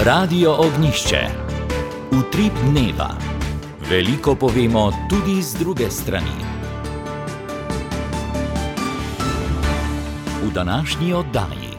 Radio Ognjišče. Utrip dneva. Veliko povemo tudi z druge strani. V današnji oddaji.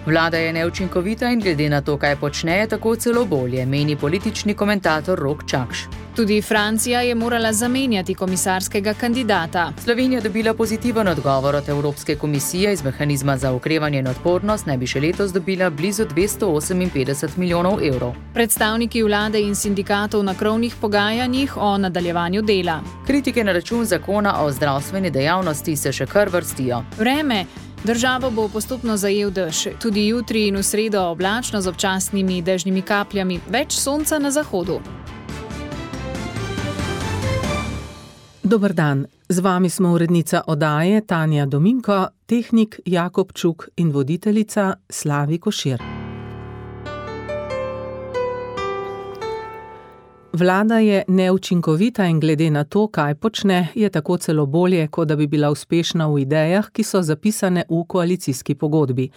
Vlada je neučinkovita in glede na to, kaj počne, je tako celo bolje, meni politični komentator Rok Čakš. Tudi Francija je morala zamenjati komisarskega kandidata. Slovenija dobila pozitiven odgovor od Evropske komisije. Iz mehanizma za okrevanje in odpornost naj bi še letos dobila blizu 258 milijonov evrov. Predstavniki vlade in sindikatov na krovnih pogajanjih o nadaljevanju dela. Kritike na račun zakona o zdravstveni dejavnosti se še kar vrstijo. Vreme. Državo bo postopno zajel dež. Tudi jutri in v sredo oblačno z občasnimi dežnimi kapljami, več sonca na zahodu. Dober dan, z vami smo urednica oddaje Tanja Dominko, tehnik Jakob Čuk in voditeljica Slavi Košir. Vlada je neučinkovita in glede na to, kaj počne, je tako celo bolje, kot da bi bila uspešna v idejah, ki so zapisane v koalicijski pogodbi.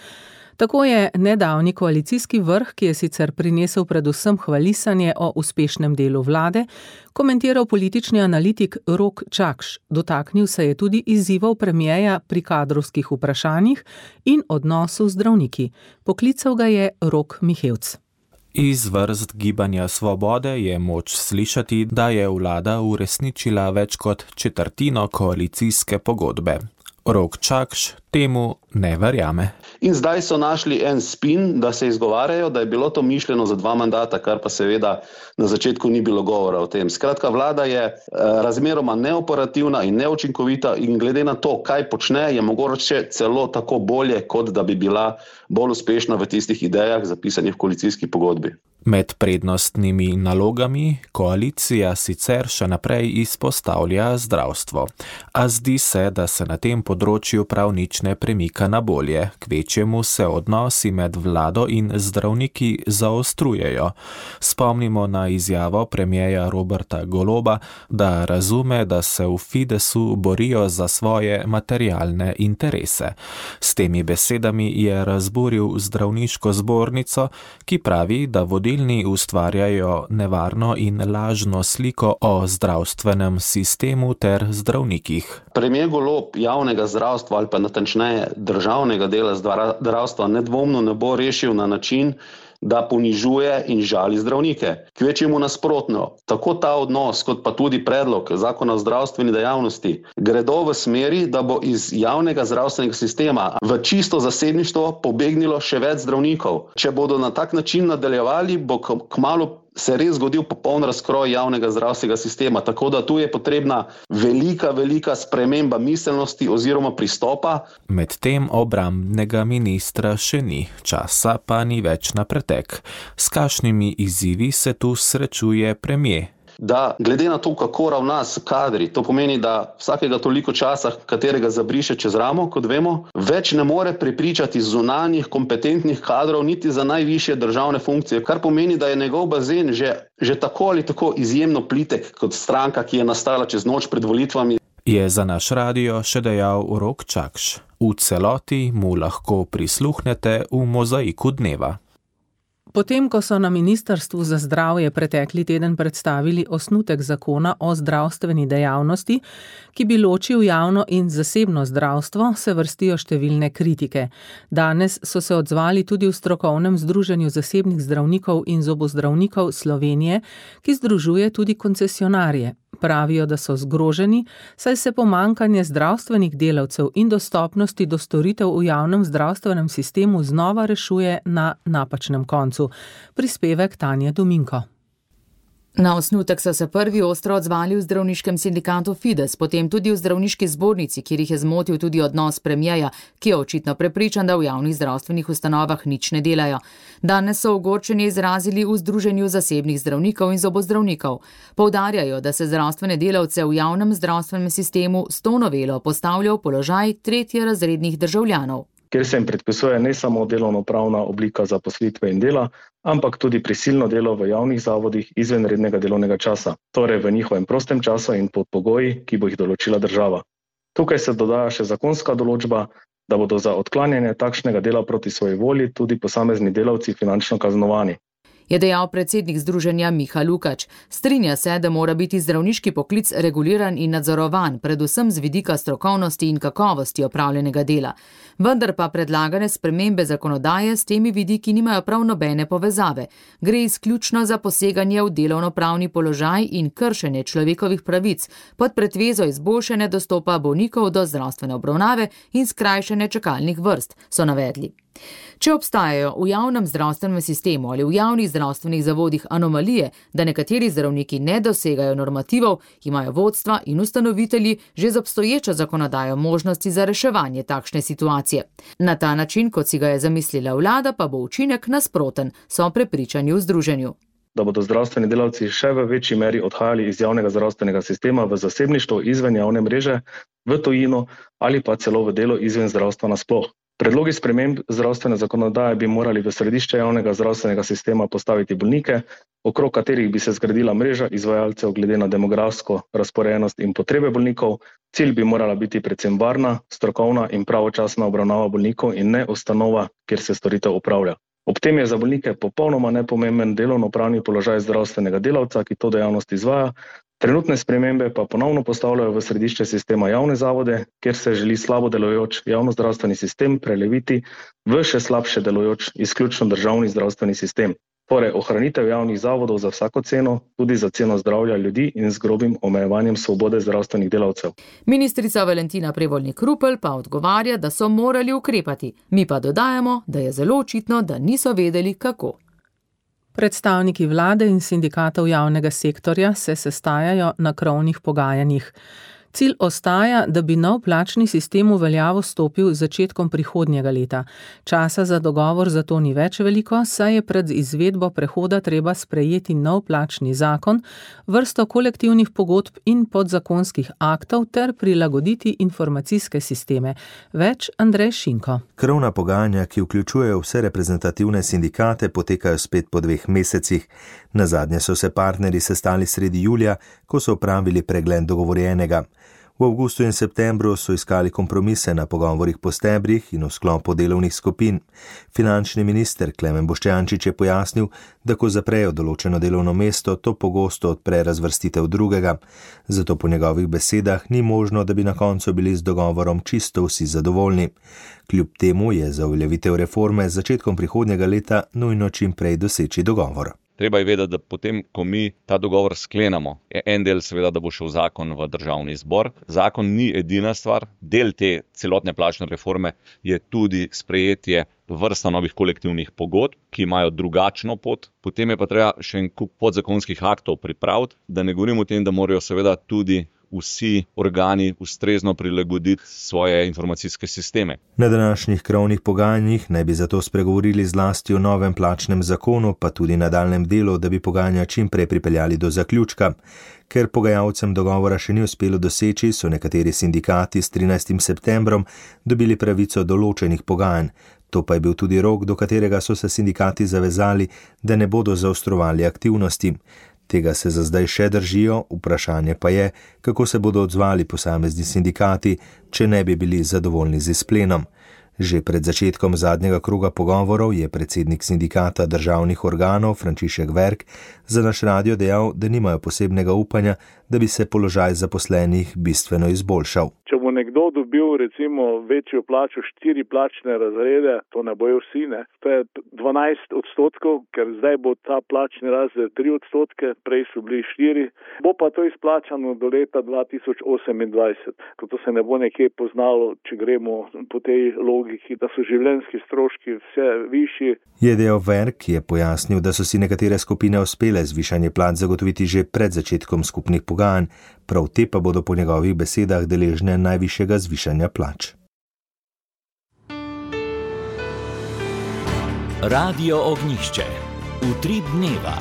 Tako je nedavni koalicijski vrh, ki je sicer prinesel predvsem hvalisanje o uspešnem delu vlade, komentiral politični analitik Rok Čakš. Dotaknil se je tudi izzivov premierja pri kadrovskih vprašanjih in odnosu z zdravniki. Poklical ga je Rok Mihevc. Iz vrst Gibanja Svobode je moč slišati, da je vlada uresničila več kot četrtino koalicijske pogodbe. Rok Čakš temu ne verjame. In zdaj so našli en spin, da se izgovarjajo, da je bilo to mišljeno za 2 mandata, kar pa seveda na začetku ni bilo govora o tem. Skratka, vlada je razmeroma neoperativna in neučinkovita in glede na to, kaj počne, je mogoče celo tako bolje, kot da bi bila bolj uspešna v tistih idejah zapisanih v koalicijski pogodbi. Med prednostnimi nalogami koalicija sicer še naprej izpostavlja zdravstvo, a zdi se, da se na tem področju prav nič ne premika na bolje, kvečjemu se odnosi med vlado in zdravniki zaostrujejo. Spomnimo na izjavo premierja Roberta Goloba, da razume, da se v Fidesu borijo za svoje materialne interese. S temi besedami je razburil zdravniško zbornico, ki pravi, da vodilni ustvarjajo nevarno in lažno sliko o zdravstvenem sistemu ter zdravnikih. Premier Golob javnega zdravstva ali pa natančneje državnega dela zdravstva nedvomno ne bo rešil na način, da ponižuje in žali zdravnike. Kvečjemu nasprotno, tako ta odnos kot pa tudi predlog zakona o zdravstveni dejavnosti gredo v smeri, da bo iz javnega zdravstvenega sistema v čisto zasebništvo pobegnilo še več zdravnikov. Če bodo na tak način nadaljevali, bo kmalu se res zgodil popoln razkroj javnega zdravstvenega sistema, tako da tu je potrebna velika sprememba miselnosti oziroma pristopa. Medtem obrambnega ministra še ni, časa pa ni več na pretek. S kakšnimi izzivi se tu srečuje premier? Da glede na to, kako ravna s kadri, to pomeni, da vsakega toliko časa, katerega zabriše čez ramo, kot vemo, več ne more prepričati zunanjih kompetentnih kadrov niti za najvišje državne funkcije, kar pomeni, da je njegov bazen že tako ali tako izjemno plitek kot stranka, ki je nastala čez noč pred volitvami. Je za naš radio še dejal Rok Čakš. V celoti mu lahko prisluhnete v mozaiku dneva. Potem, ko so na Ministrstvu za zdravje pretekli teden predstavili osnutek zakona o zdravstveni dejavnosti, ki bi ločil javno in zasebno zdravstvo, se vrstijo številne kritike. Danes so se odzvali tudi v strokovnem združenju zasebnih zdravnikov in zobozdravnikov Slovenije, ki združuje tudi koncesionarje. Pravijo, da so zgroženi, saj se pomanjkanje zdravstvenih delavcev in dostopnosti do storitev v javnem zdravstvenem sistemu znova rešuje na napačnem koncu. Prispevek Tanje Dominko. Na osnutek so se prvi ostro odzvali v zdravniškem sindikatu Fides, potem tudi v zdravniški zbornici, kjer jih je zmotil tudi odnos premierja, ki je očitno prepričan, da v javnih zdravstvenih ustanovah nič ne delajo. Danes so ogorčenje izrazili v Združenju zasebnih zdravnikov in zobozdravnikov. Poudarjajo, da se zdravstvene delavce v javnem zdravstvenem sistemu s to novelo postavlja v položaj tretjerazrednih državljanov. Kjer se jim predpisuje ne samo delovnopravna oblika zaposlitve in dela, ampak tudi prisilno delo v javnih zavodih izven rednega delovnega časa, torej v njihovem prostem času in pod pogoji, ki bo jih določila država. Tukaj se dodaja še zakonska določba, da bodo za odklanjanje takšnega dela proti svoji volji tudi posamezni delavci finančno kaznovani. je dejal predsednik združenja Miha Lukač. Strinja se, da mora biti zdravniški poklic reguliran in nadzorovan, predvsem z vidika strokovnosti in kakovosti opravljenega dela. Vendar pa predlagane spremembe zakonodaje s temi vidiki nimajo prav nobene povezave. Gre izključno za poseganje v delovnopravni položaj in kršenje človekovih pravic pod pretvezo izboljšanja dostopa bolnikov do zdravstvene obravnave in skrajšanja čakalnih vrst, so navedli. Če obstajajo v javnem zdravstvenem sistemu ali v javnih zdravstvenih zavodih anomalije, da nekateri zdravniki ne dosegajo normativov, imajo vodstva in ustanovitelji že z obstoječo zakonodajo možnosti za reševanje takšne situacije. Na ta način, kot si ga je zamislila vlada, pa bo učinek nasproten, so prepričani v združenju. Da bodo zdravstveni delavci še v večji meri odhajali iz javnega zdravstvenega sistema v zasebništvo izven javne mreže, v tujino ali pa celo v delo izven zdravstva nasploh. Predlogi sprememb zdravstvene zakonodaje bi morali v središče javnega zdravstvenega sistema postaviti bolnike, okrog katerih bi se zgradila mreža izvajalcev glede na demografsko razporejenost in potrebe bolnikov. Cilj bi morala biti predvsem varna, strokovna in pravočasna obravnava bolnikov in ne ustanova, kjer se storitev opravlja. Ob tem je za bolnike popolnoma nepomemben delovnopravni položaj zdravstvenega delavca, ki to dejavnost izvaja. Trenutne spremembe pa ponovno postavljajo v središče sistema javne zavode, kjer se želi slabo delujoč javnozdravstveni sistem preleviti v še slabše delujoč izključno državni zdravstveni sistem. Torej ohranitev javnih zavodov za vsako ceno, tudi za ceno zdravja ljudi in z grobim omejevanjem svobode zdravstvenih delavcev. Ministrica Valentina Prevolnik Rupel pa odgovarja, da so morali ukrepati. Mi pa dodajamo, da je zelo očitno, da niso vedeli, kako. Predstavniki vlade in sindikatov javnega sektorja se sestajajo na krovnih pogajanjih. Cilj ostaja, da bi nov plačni sistem v veljavo stopil z začetkom prihodnjega leta. Časa za dogovor zato ni več veliko, saj je pred izvedbo prehoda treba sprejeti nov plačni zakon, vrsto kolektivnih pogodb in podzakonskih aktov ter prilagoditi informacijske sisteme. Več Andrej Šinko. Krovna pogajanja, ki vključujejo vse reprezentativne sindikate, potekajo spet po 2 mesecih. Nazadnje so se partnerji sestali sredi julija, ko so opravili pregled dogovorjenega. V avgustu in septembru so iskali kompromise na pogovorih po stebrih in v sklopu delovnih skupin. Finančni minister Klemen Boštjančič je pojasnil, da ko zaprejo določeno delovno mesto, to pogosto odpre razvrstitev drugega. Zato po njegovih besedah ni možno, da bi na koncu bili z dogovorom čisto vsi zadovoljni. Kljub temu je za uveljavitev reforme z začetkom prihodnjega leta nujno čim prej doseči dogovor. Treba je vedeti, da potem, ko mi ta dogovor sklenemo, je en del seveda, da bo šel zakon v državni zbor. Zakon ni edina stvar, del te celotne plačne reforme je tudi sprejetje vrsta novih kolektivnih pogodb, ki imajo drugačno pot. Potem je pa treba še en kup podzakonskih aktov pripraviti, da ne govorim o tem, da morajo seveda tudi vsi organi ustrezno prilagoditi svoje informacijske sisteme. Na današnjih krovnih pogajanjih naj bi zato spregovorili zlasti o novem plačnem zakonu, pa tudi nadaljnjem delu, da bi pogajanja čim prej pripeljali do zaključka. Ker pogajalcem dogovora še ni uspelo doseči, so nekateri sindikati s 13. septembrom dobili pravico določenih pogajanj. To pa je bil tudi rok, do katerega so se sindikati zavezali, da ne bodo zaostrovali aktivnosti. Tega se za zdaj še držijo, vprašanje pa je, kako se bodo odzvali posamezni sindikati, če ne bi bili zadovoljni z izplenom. Že pred začetkom zadnjega kroga pogovorov je predsednik sindikata državnih organov Frančišek Verk za naš radio dejal, da nimajo posebnega upanja, da bi se položaj zaposlenih bistveno izboljšal. Če bo nekdo dobil recimo večjo plačo, 4 plačne razrede, to ne bojo vsi, ne? To je 12%, ker zdaj bo ta plačni razred 3%, prej so bili 4%, bo pa to izplačano do leta 2028, ko to se ne bo nekje poznalo, če gremo po tej logiki, da so življenjski stroški vse višji. Je dejal Verk, ki je pojasnil, da so si nekatere skupine uspele zvišanje plač zagotoviti že pred začetkom skupnih pogajanj, prav te pa bodo po njegovih besedah deležne najvišjega zvišanja plač. Radio Ognjišče. Utrip dneva.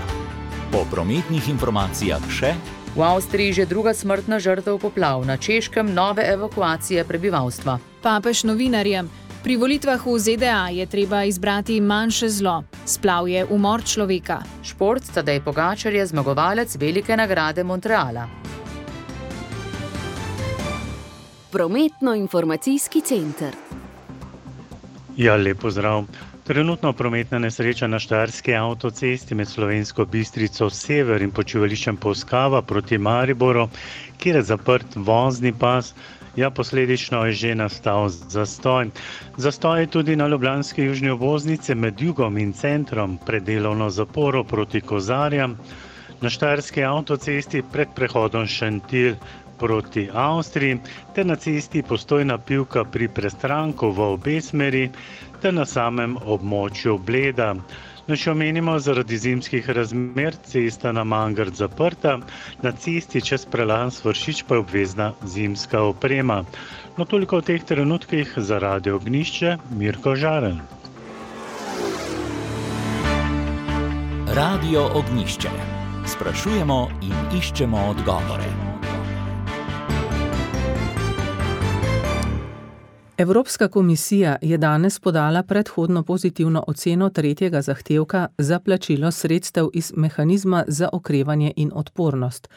Po prometnih informacijah še. V Avstriji že druga smrtna žrtev poplav, na Češkem nove evakuacije prebivalstva. Papež novinarjem. Pri volitvah v ZDA je treba izbrati manjše zlo. Splav je umor človeka. Šport, Tadej Pogačar je zmagovalec velike nagrade Montreala. Prometno-informacijski center. Ja, lep pozdrav. Trenutno prometna nesreča na Štajerski avtocesti med Slovensko Bistrico Sever in počivališčem Polskava proti Mariboru, kjer je zaprt vozni pas. Posledično je že nastal zastoj. Zastoj je tudi na ljubljanski južni obvoznici med jugom in centrom pred delovno zaporo proti Kozarjam. Na Štajerski avtocesti pred prehodom Šentilj proti Avstriji, ter na cesti Postojna Pivka pri Prestranku v obe smeri, ter na samem območju Bleda. Še omenimo, zaradi zimskih razmer cesta na Mangart zaprta, na cesti čez prelaz Vršič pa je obvezna zimska oprema. Toliko v teh trenutkih za Radio Ognjišče, Mirko Žaren. Radio Ognjišče. Sprašujemo in iščemo odgovore. Evropska komisija je danes podala predhodno pozitivno oceno tretjega zahtevka za plačilo sredstev iz mehanizma za okrevanje in odpornost.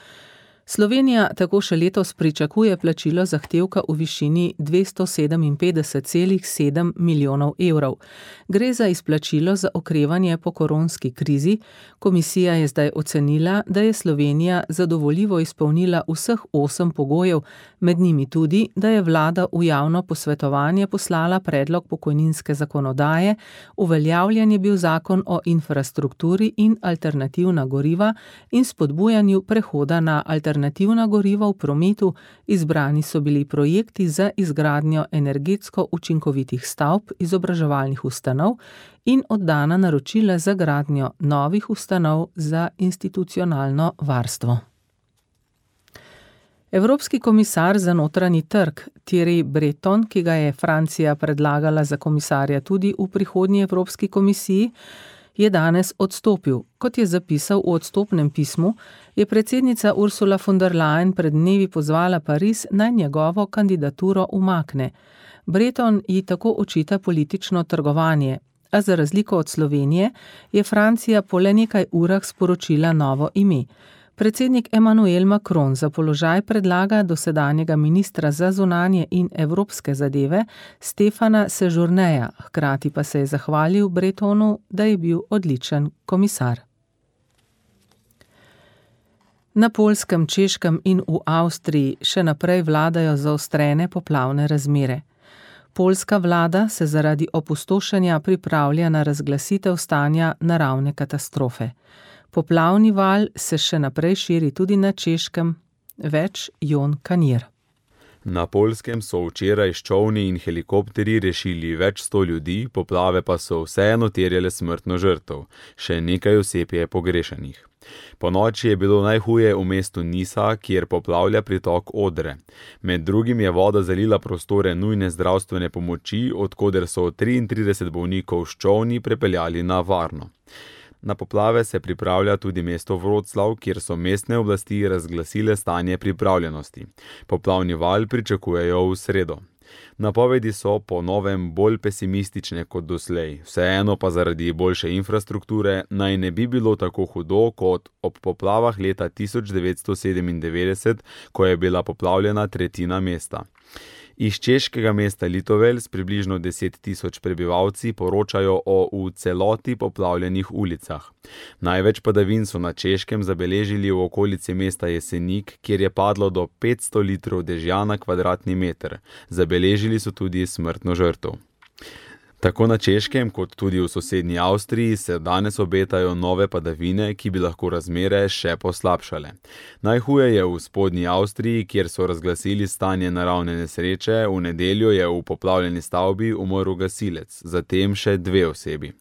Slovenija tako še letos pričakuje plačilo zahtevka v višini 257,7 milijonov evrov. Gre za izplačilo za okrevanje po koronski krizi. Komisija je zdaj ocenila, da je Slovenija zadovoljivo izpolnila vseh 8 pogojev, med njimi tudi, da je vlada v javno posvetovanje poslala predlog pokojninske zakonodaje, uveljavljen je bil zakon o infrastrukturi in alternativna goriva in spodbujanju prehoda na alternativna goriva v prometu, izbrani so bili projekti za izgradnjo energetsko učinkovitih stavb, izobraževalnih ustanov in oddana naročila za gradnjo novih ustanov za institucionalno varstvo. Evropski komisar za notranji trg Thierry Breton, ki ga je Francija predlagala za komisarja tudi v prihodnji Evropski komisiji, je danes odstopil. Kot je zapisal v odstopnem pismu, je predsednica Ursula von der Leyen pred dnevi pozvala Pariz, naj njegovo kandidaturo umakne. Breton ji tako očita politično trgovanje, a za razliko od Slovenije je Francija po le nekaj urah sporočila novo ime. Predsednik Emmanuel Macron za položaj predlaga dosedanjega ministra za zunanje in evropske zadeve Stefana Sejourneja, hkrati pa se je zahvalil Bretonu, da je bil odličen komisar. Na Poljskem, Češkem in v Avstriji še naprej vladajo zaostrene poplavne razmere. Poljska vlada se zaradi opustošenja pripravlja na razglasitev stanja naravne katastrofe. Poplavni val se še naprej širi tudi na Češkem, več Jon Kanjer. Na Poljskem so včeraj s čolni in helikopterji rešili več 100 ljudi, poplave pa so vseeno terjale smrtno žrtev. Še nekaj oseb je pogrešanih. Ponoči je bilo najhuje v mestu Nisa, kjer poplavlja pritok Odre. Med drugim je voda zalila prostore nujne zdravstvene pomoči, od koder so 33 bolnikov s čolni prepeljali na varno. Na poplave se pripravlja tudi mesto Vroclav, kjer so mestne oblasti razglasile stanje pripravljenosti. Poplavni val pričakujejo v sredo. Napovedi so po novem bolj pesimistične kot doslej, vseeno pa zaradi boljše infrastrukture naj ne bi bilo tako hudo kot ob poplavah leta 1997, ko je bila poplavljena tretjina mesta. Iz češkega mesta Litovel s približno 10 tisoč prebivalci poročajo o v celoti poplavljenih ulicah. Največ padavin so na Češkem zabeležili v okolici mesta Jesenik, kjer je padlo do 500 litrov dežja na kvadratni meter. Zabeležili so tudi smrtno žrtev. Tako na Češkem kot tudi v sosednji Avstriji se danes obetajo nove padavine, ki bi lahko razmere še poslabšale. Najhuje je v spodnji Avstriji, kjer so razglasili stanje naravne nesreče, v nedeljo je v poplavljeni stavbi umrl gasilec, zatem še 2 osebi.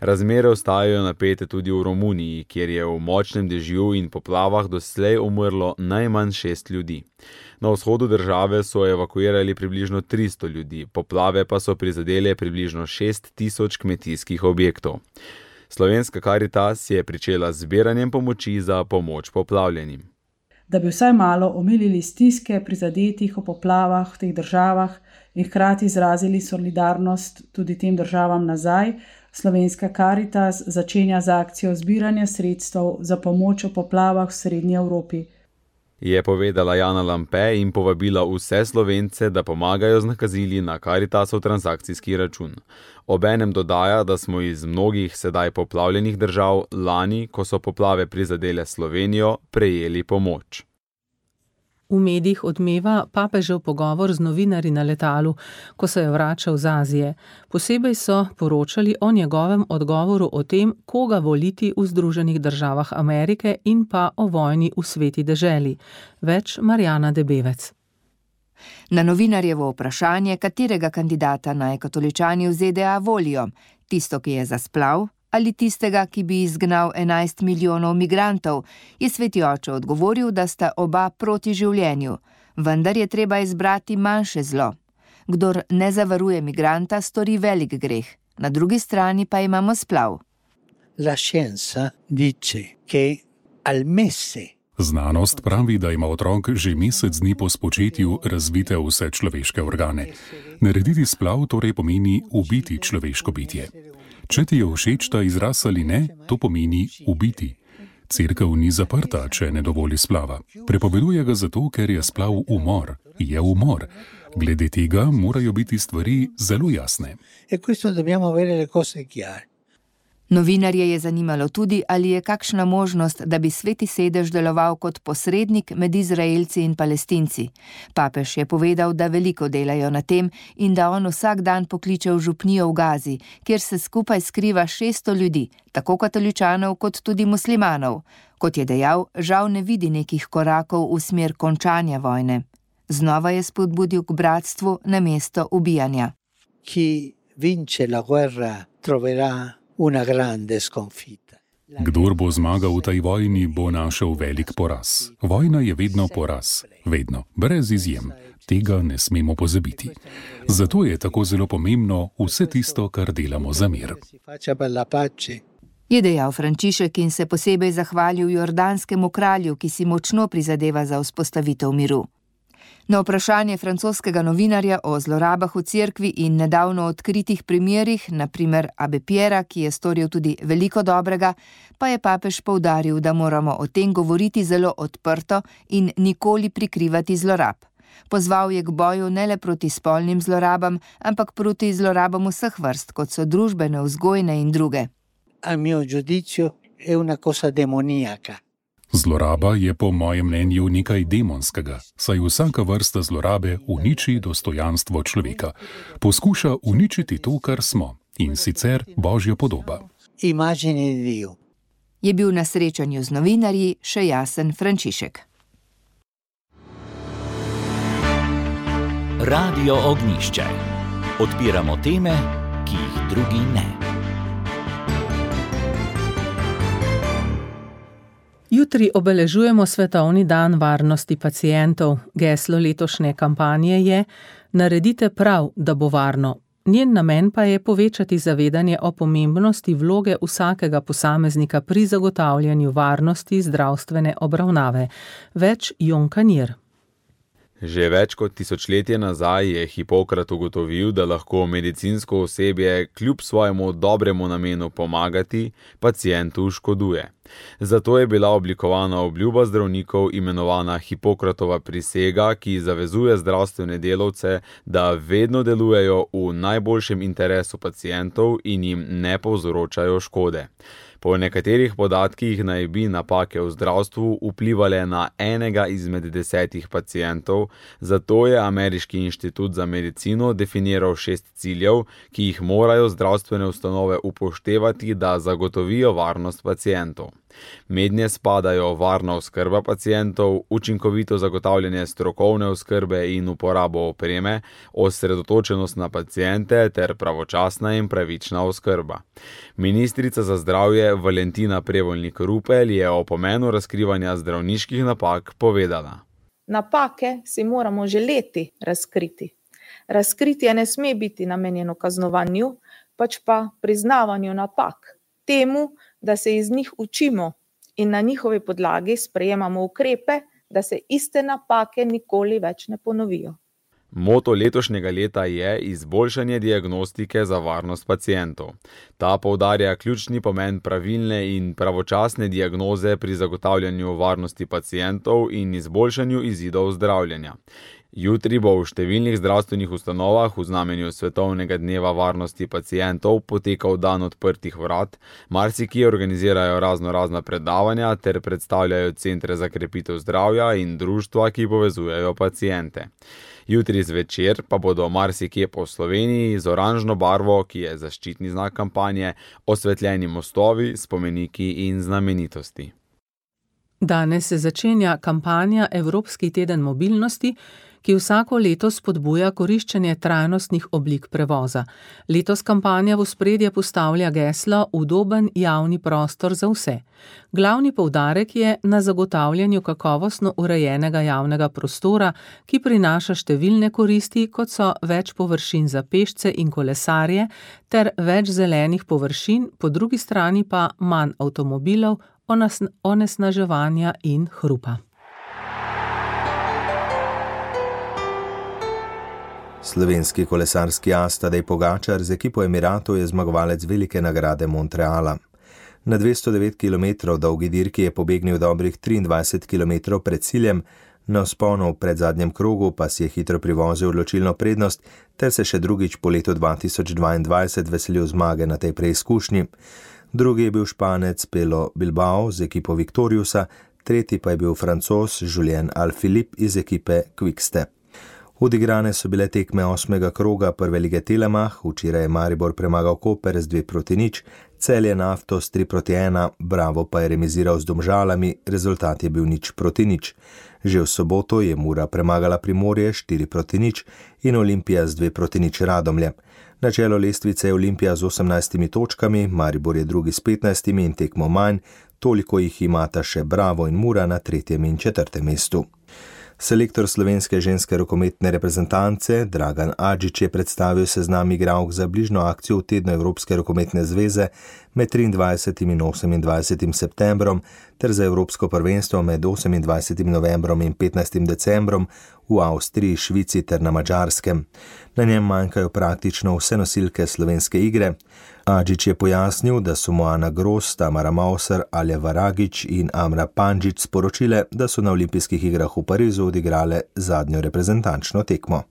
Razmere ostajajo napete tudi v Romuniji, kjer je v močnem dežju in poplavah doslej umrlo najmanj 6 ljudi. Na vzhodu države so evakuirali približno 300 ljudi, poplave pa so prizadele približno 6 tisoč kmetijskih objektov. Slovenska Karitas je pričela z zbiranjem pomoči za pomoč poplavljenim. Da bi vsaj malo omilili stiske prizadetih v poplavah v teh državah in hkrati izrazili solidarnost tudi tem državam nazaj, Slovenska Karitas začenja z akcijo zbiranja sredstev za pomoč v poplavah v Srednji Evropi. je povedala Jana Lampe in povabila vse Slovence, da pomagajo z nakazili na Caritasov transakcijski račun. Obenem dodaja, da smo iz mnogih sedaj poplavljenih držav lani, ko so poplave prizadele Slovenijo, prejeli pomoč. V medijih odmeva papežev pogovor z novinarji na letalu, ko se je vračal z Azije. Posebej so poročali o njegovem odgovoru o tem, koga voliti v Združenih državah Amerike in pa o vojni v sveti deželi. Več Marjana Debevec. Na novinarjevo vprašanje, katerega kandidata naj katoličani v ZDA volijo, tisto, ki je za splav, ali tistega, ki bi izgnal 11 milijonov migrantov, je sveti oče odgovoril, da sta oba proti življenju, vendar je treba izbrati manjše zlo. Kdor ne zavaruje migranta, stori velik greh, na drugi strani pa imamo splav. La scienza dice che al mese Znanost pravi, da ima otrok že mesec dni po spočetju razvite vse človeške organe. Narediti splav torej pomeni ubiti človeško bitje. Če ti je všeč ta izraz ali ne, to pomeni ubiti. Cerkev ni zaprta, če ne dovoli splava. Prepoveduje ga zato, ker je splav umor. Je umor. Glede tega morajo biti stvari zelo jasne. Novinarje je zanimalo tudi, ali je kakšna možnost, da bi Sveti sedež deloval kot posrednik med Izraelci in Palestinci. Papež je povedal, da veliko delajo na tem in da on vsak dan pokliče v župnijo v Gazi, kjer se skupaj skriva 600 ljudi, tako katoličanov kot tudi muslimanov. Kot je dejal, žal ne vidi nekih korakov v smer končanja vojne. Znova je spodbudil k bratstvu namesto ubijanja. Chi vince la guerra troverà una grande sconfitta. Kdor bo zmagal v tej vojni, bo našel velik poraz. Vojna je vedno poraz. Vedno. Brez izjem. Tega ne smemo pozabiti. Zato je tako zelo pomembno vse tisto, kar delamo za mir. Je dejal Frančišek in se posebej zahvalil jordanskemu kralju, ki si močno prizadeva za vzpostavitev miru. Na vprašanje francoskega novinarja o zlorabah v cerkvi in nedavno odkritih primerih, naprimer Abe Pierra, ki je storil tudi veliko dobrega, pa je papež poudaril, da moramo o tem govoriti zelo odprto in nikoli prikrivati zlorab. Pozval je k boju ne le proti spolnim zlorabam, ampak proti zlorabam vseh vrst, kot so družbene, vzgojne in druge. A mio giudizio è una cosa demoniaca. Zloraba je po mojem mnenju nekaj demonskega, saj vsaka vrsta zlorabe uniči dostojanstvo človeka. Poskuša uničiti to, kar smo, in sicer Božja podoba. Je bil na srečanju z novinarji še jasen Frančišek. Radio Ognjišče. Odpiramo teme, ki jih drugi ne. Jutri obeležujemo Svetovni dan varnosti pacientov. Geslo letošnje kampanje je Naredite prav, da bo varno. Njen namen pa je povečati zavedanje o pomembnosti vloge vsakega posameznika pri zagotavljanju varnosti zdravstvene obravnave. Več Jon Kanjer. Že več kot tisočletje nazaj je Hipokrat ugotovil, da lahko medicinsko osebje kljub svojemu dobremu namenu pomagati, pacientu škoduje. Zato je bila oblikovana obljuba zdravnikov imenovana Hipokratova prisega, ki zavezuje zdravstvene delavce, da vedno delujejo v najboljšem interesu pacientov in jim ne povzročajo škode. Po nekaterih podatkih naj bi napake v zdravstvu vplivale na enega izmed 10 pacientov, zato je Ameriški inštitut za medicino definiral 6 ciljev, ki jih morajo zdravstvene ustanove upoštevati, da zagotovijo varnost pacientov. Mednje spadajo varna oskrba pacientov, učinkovito zagotavljanje strokovne oskrbe in uporabo opreme, osredotočenost na paciente ter pravočasna in pravična oskrba. Ministrica za zdravje Valentina Prevolnik-Rupel je o pomenu razkrivanja zdravniških napak povedala. Napake si moramo želeti razkriti. Razkritje ne sme biti namenjeno kaznovanju, pač pa priznavanju napak. Temu, da se iz njih učimo in na njihovi podlagi sprejemamo ukrepe, da se iste napake nikoli več ne ponovijo. Moto letošnjega leta je izboljšanje diagnostike za varnost pacientov. Ta poudarja ključni pomen pravilne in pravočasne diagnoze pri zagotavljanju varnosti pacientov in izboljšanju izidov zdravljenja. Jutri bo v številnih zdravstvenih ustanovah v znamenju Svetovnega dneva varnosti pacientov potekal dan odprtih vrat, marsikje organizirajo raznorazna predavanja ter predstavljajo centre za krepitev zdravja in društva, ki povezujejo paciente. Jutri zvečer pa bodo marsikje po Sloveniji z oranžno barvo, ki je zaščitni znak kampanje, osvetljeni mostovi, spomeniki in znamenitosti. Danes se začenja kampanja Evropski teden mobilnosti, ki vsako leto spodbuja koriščenje trajnostnih oblik prevoza. Letos kampanja v ospredje postavlja geslo Udoben javni prostor za vse. Glavni poudarek je na zagotavljanju kakovostno urejenega javnega prostora, ki prinaša številne koristi, kot so več površin za pešce in kolesarje ter več zelenih površin, po drugi strani pa manj avtomobilov, onesnaževanja in hrupa. Slovenski kolesarski as Tadej Pogačar z ekipo Emiratov je zmagovalec velike nagrade Montreala. Na 209 km dolgi dirki je pobegnil dobrih 23 km pred ciljem, na vzponu v predzadnjem krogu pa si je hitro privozil odločilno prednost ter se še drugič po letu 2022 veselil zmage na tej preizkušnji. Drugi je bil Španec Pello Bilbao z ekipo Victoriusa, tretji pa je bil Francoz Julien Alaphilippe iz ekipe Quick-Step. Odigrane so bile tekme 8. kroga prve lige Telemach, včeraj je Maribor premagal Koper z 2-0, Celje Naftos 3-1, Bravo pa je remiziral z Domžalami, rezultat je bil 0-0. Že v soboto je Mura premagala Primorje 4-0 in Olimpija z 2-0 Radomlje. Na čelo lestvice je Olimpija z 18 točkami, Maribor je drugi s 15 in tekmo manj, toliko jih imata še Bravo in Mura na 3. in 4. mestu. Selektor slovenske ženske rokometne reprezentance Dragan Adžič je predstavil seznam igralk za bližnjo akcijo v tednu Evropske rokometne zveze med 23. in 28. septembrom ter za Evropsko prvenstvo med 28. novembrom in 15. decembrom v Avstriji, Švici ter na Madžarskem. Na njem manjkajo praktično vse nosilke slovenske igre. Adžič je pojasnil, da so mu Ana Gros, Tamara Mauser, Alja Varagič in Amra Pandžič sporočile, da so na olimpijskih igrah v Parizu odigrale zadnjo reprezentančno tekmo.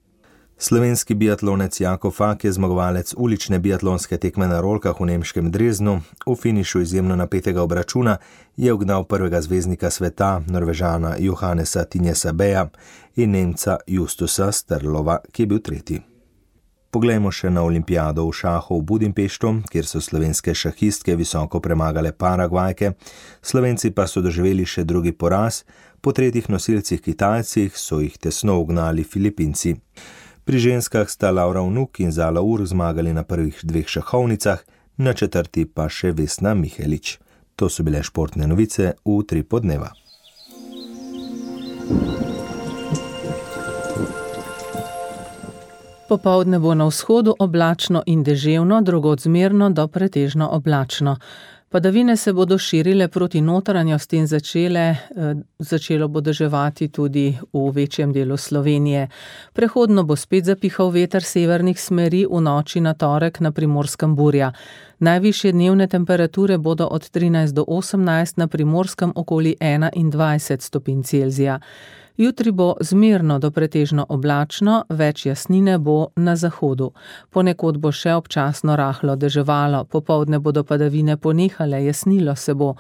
Slovenski biatlonec Jakov Fak je zmagovalec ulične biatlonske tekme na rolkah v nemškem Dresdnu. V finišu izjemno napetega obračuna je ugnal prvega zvezdnika sveta, Norvežana Johannesa Tinjesa Beja in Nemca Justusa Strlova, ki je bil tretji. Poglejmo še na olimpijado v šahu v Budimpeštu, kjer so slovenske šahistke visoko premagale Paragvajke. Slovenci pa so doživeli še drugi poraz, po tretjih nosilcih Kitajcih so jih tesno ugnali Filipinci. Pri ženskah sta Laura Vnuk in Zala Ur zmagali na prvih 2 šahovnicah, na 4. pa še Vesna Mihelič. To so bile športne novice v Utrip dneva. Popoldne bo na vzhodu oblačno in deževno, drugod zmerno do pretežno oblačno. Padavine se bodo širile proti notranjosti in začelo bo deževati tudi v večjem delu Slovenije. Prehodno bo spet zapihal veter severnih smeri, v noči na torek na Primorskem burja. Najvišje dnevne temperature bodo od 13 do 18, na Primorskem okoli 21 stopinj Celzija. Jutri bo zmerno do pretežno oblačno, več jasnine bo na zahodu. Ponekod bo še občasno rahlo deževalo, popoldne bodo padavine ponehale, jasnilo se bo.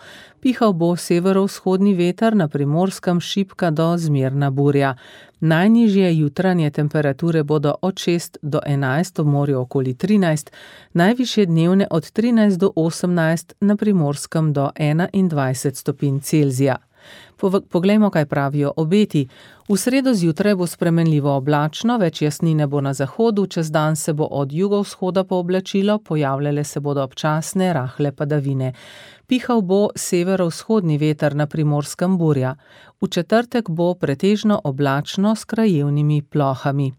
Pihal bo severovzhodni veter, na Primorskem šibka do zmerna burja. Najnižje jutranje temperature bodo od 6 do 11, v morju okoli 13, najvišje dnevne od 13 do 18, na Primorskem do 21 stopinj Celzija. Poglejmo, kaj pravijo obeti. V sredo zjutraj bo spremenljivo oblačno, več jasnine bo na zahodu, čez dan se bo od jugovzhoda pooblačilo, pojavljale se bodo občasne rahle padavine. Pihal bo severovzhodni veter, na Primorskem burja. V četrtek bo pretežno oblačno s krajevnimi plohami.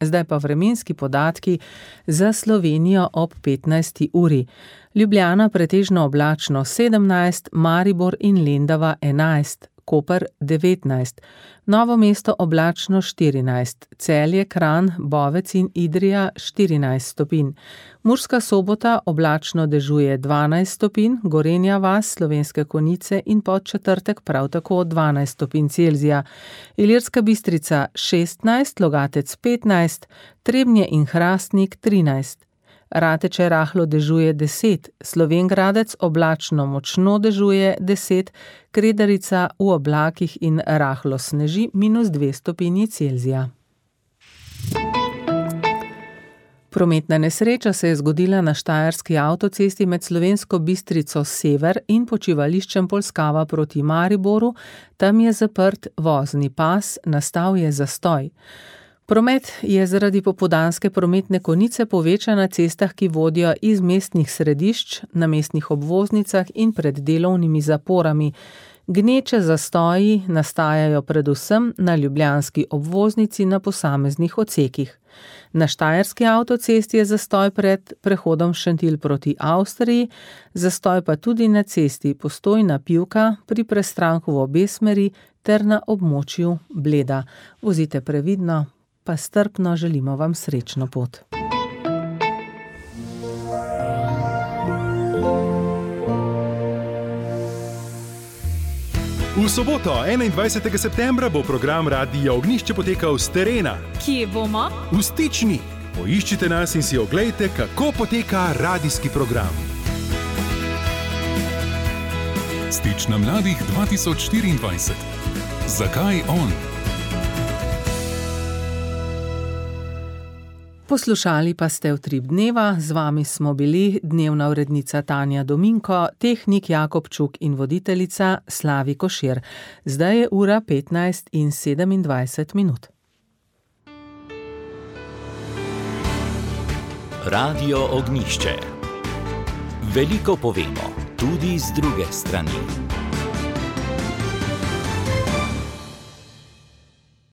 Zdaj pa vremenski podatki za Slovenijo ob 15. uri. Ljubljana pretežno oblačno 17, Maribor in Lendava 11, Koper 19, Novo mesto oblačno 14, Celje, Kranj, Bovec in Idrija 14 stopinj, Murska Sobota oblačno dežuje 12 stopinj, Gorenja vas, Slovenske Konjice in Podčetrtek prav tako 12 stopinj Celzija, Ilirska Bistrica 16, Logatec 15, Trebnje in Hrastnik 13, Rateče rahlo dežuje 10, Slovenj Gradec oblačno močno dežuje 10, Kredarica v oblakih in rahlo sneži -2 stopinji Celzija. Prometna nesreča se je zgodila na štajerski avtocesti med Slovensko Bistrico sever in počivališčem Polskava proti Mariboru. Tam je zaprt vozni pas, nastal je zastoj. Promet je zaradi popoldanske prometne konice povečan na cestah, ki vodijo iz mestnih središč, na mestnih obvoznicah in pred delovnimi zaporami. Gneče zastoji nastajajo predvsem na ljubljanski obvoznici na posameznih odsekih. Na štajerski avtocesti je zastoj pred prehodom Šentilj proti Avstriji, zastoj pa tudi na cesti Postojna-Pivka pri prestranku v obe smeri ter na območju Bleda. Vozite previdno, pa strpno želimo vam srečno pot. V soboto, 21. septembra, bo program Radia Ognjišče potekal s terena. Kje bomo? V Stični. Poiščite nas in si oglejte, kako poteka radijski program. Stična mladih 2024. Zakaj on? Poslušali pa ste Utrip dneva, z vami smo bili dnevna urednica Tanja Dominko, tehnik Jakob Čuk in voditeljica Slavi Košir. Zdaj je ura 15:27. Radio Ognjišče. Veliko povemo, tudi z druge strani.